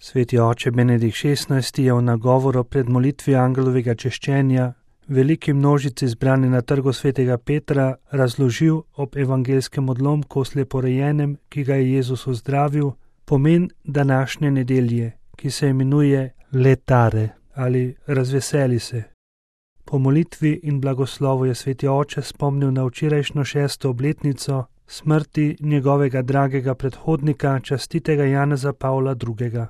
Sveti oče Benedikt XVI je v nagovoru pred molitvijo angelovega češčenja veliki množici zbrani na trgu svetega Petra razložil ob evangelskem odlomku o sleporojenem, ki ga je Jezus ozdravil, pomen današnje nedelje, ki se imenuje letare ali razveseli se. Po molitvi in blagoslovu je sveti oče spomnil na včerajšnjo 6. obletnico smrti njegovega dragega predhodnika, častitega Janeza Pavla II.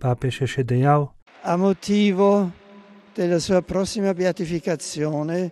Papež je še dejal: A motivo della sua prossima beatificazione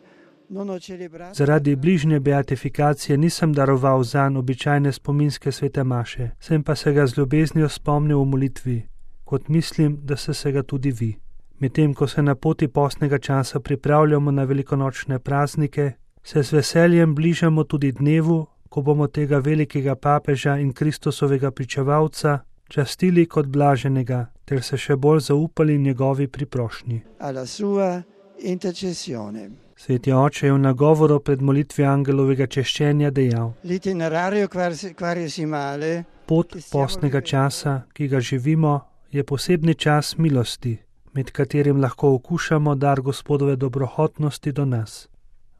non ho celebrato. Zaradi bližnje beatifikacije nisem daroval zanj običajne spominske svete maše, sem pa se ga z ljubeznijo spomnil v molitvi, kot mislim, da ste se ga tudi vi. Medtem ko se na poti postnega časa pripravljamo na velikonočne praznike, se z veseljem bližamo tudi dnevu, ko bomo tega velikega papeža in Kristusovega pričevalca častili kot blaženega, ter se še bolj zaupali njegovi priprošnji. Alla sua intercessione. Sveti oče je v nagovoru pred molitvijo angelovega češčenja dejal: L'itinerario quaresimale, pot postnega časa, ki ga živimo, je posebni čas milosti, med katerim lahko okušamo dar Gospodove dobrohotnosti do nas.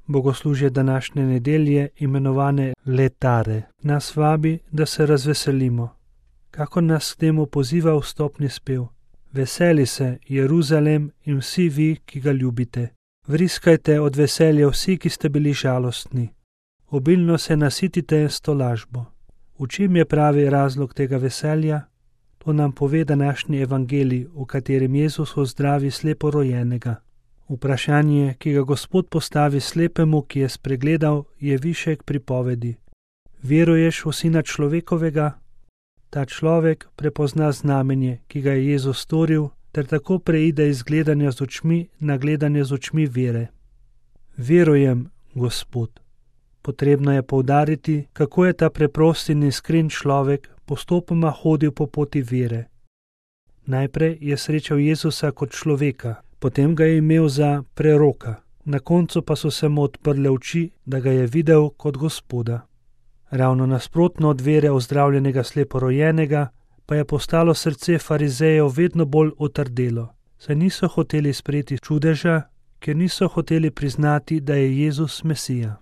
Bogoslužje današnje nedelje, imenovane letare, nas vabi, da se razveselimo. Kako nas k temu poziva vstopni spev: Veseli se, Jeruzalem, in vsi vi, ki ga ljubite. Vriskajte od veselja vsi, ki ste bili žalostni. Obilno se nasitite s tolažbo. V čem je pravi razlog tega veselja? To nam pove današnji evangelij, v katerem Jezus ozdravi sleporojenega. Vprašanje, ki ga Gospod postavi slepemu, ki je spregledal, je višek pripovedi. Veruješ v Sina človekovega? Ta človek prepozna znamenje, ki ga je Jezus storil, ter tako preide iz gledanja z očmi na gledanje z očmi vere. Verujem, Gospod. Potrebno je poudariti, kako je ta preprost in iskren človek postopoma hodil po poti vere. Najprej je srečal Jezusa kot človeka, potem ga je imel za preroka, na koncu pa so se mu odprle oči, da ga je videl kot Gospoda. Ravno nasprotno od vere ozdravljenega sleporojenega pa je postalo srce farizejev vedno bolj otrdelo, saj niso hoteli sprejeti čudeža, ker niso hoteli priznati, da je Jezus Mesija.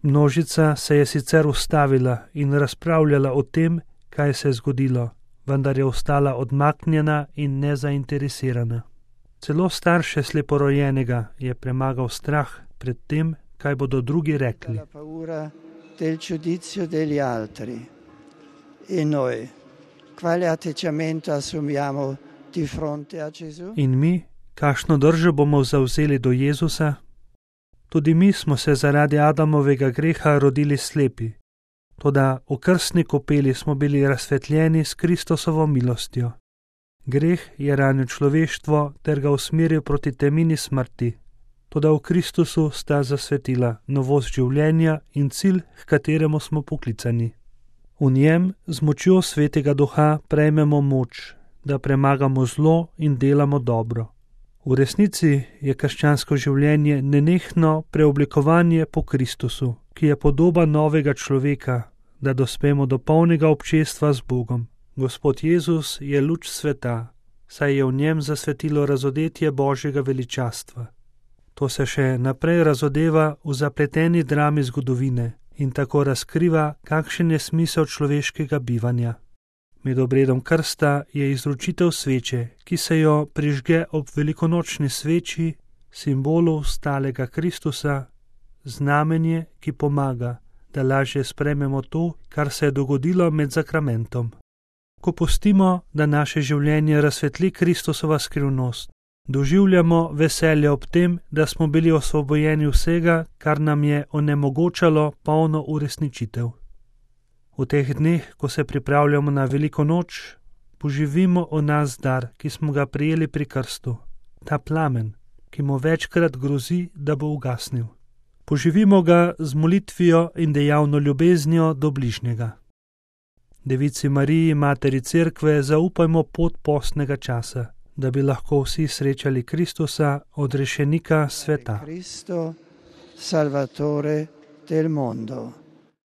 Množica se je sicer ustavila in razpravljala o tem, kaj se je zgodilo, vendar je ostala odmaknjena in nezainteresirana. Celo starše sleporojenega je premagal strah pred tem, kaj bodo drugi rekli. Del giudizio degli altri. E noi, quale atteggiamento assumiamo di fronte a Gesù? In mi, kakšno držo bomo zavzeli do Jezusa? Tudi mi smo se zaradi Adamovega greha rodili slepi, toda v krstni kopeli smo bili razsvetljeni s Kristusovo milostjo. Greh je ranil človeštvo ter ga usmeril proti temini smrti. Toda v Kristusu sta zasvetila novost življenja in cilj, k kateremu smo poklicani. V njem z močjo Svetega Duha prejmemo moč, da premagamo zlo in delamo dobro. V resnici je krščansko življenje nenehno preoblikovanje po Kristusu, ki je podoba novega človeka, da dospemo do polnega občestva z Bogom. Gospod Jezus je luč sveta, saj je v njem zasvetilo razodetje Božjega veličastva. To se še naprej razodeva v zapleteni drami zgodovine in tako razkriva, kakšen je smisel človeškega bivanja. Med obredom krsta je izročitev sveče, ki se jo prižge ob velikonočni sveči, simbolu stalega Kristusa, znamenje, ki pomaga, da lažje sprejmemo to, kar se je dogodilo med zakramentom. Ko pustimo, da naše življenje razsvetli Kristusova skrivnost, doživljamo veselje ob tem, da smo bili osvobojeni vsega, kar nam je onemogočalo polno uresničitev. V teh dneh, ko se pripravljamo na veliko noč, poživimo o nas dar, ki smo ga prijeli pri krstu, ta plamen, ki mu večkrat grozi, da bo ugasnil. Poživimo ga z molitvijo in dejavno ljubeznijo do bližnjega. Devici Mariji, Materi Cerkve, zaupajmo pot postnega časa, da bi lahko vsi srečali Kristusa, odrešenika sveta. Cristo, Salvatore del mondo.